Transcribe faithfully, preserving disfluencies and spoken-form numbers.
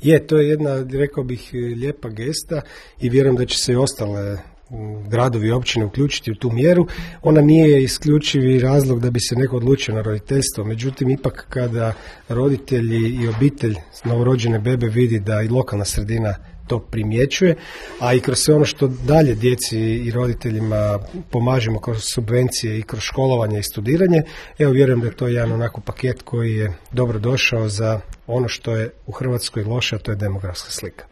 Je, to je jedna, rekao bih, lijepa gesta i vjerujem da će se i ostale gradovi i općine uključiti u tu mjeru. Ona nije isključivi razlog da bi se neko odlučio na roditeljstvo, međutim ipak kada roditelji i obitelj novorođene bebe vidi da i lokalna sredina to primjećuje, a i kroz sve ono što dalje djeci i roditeljima pomažemo kroz subvencije i kroz školovanje i studiranje, evo vjerujem da je to jedan onako paket koji je dobro došao za ono što je u Hrvatskoj loše, a to je demografska slika.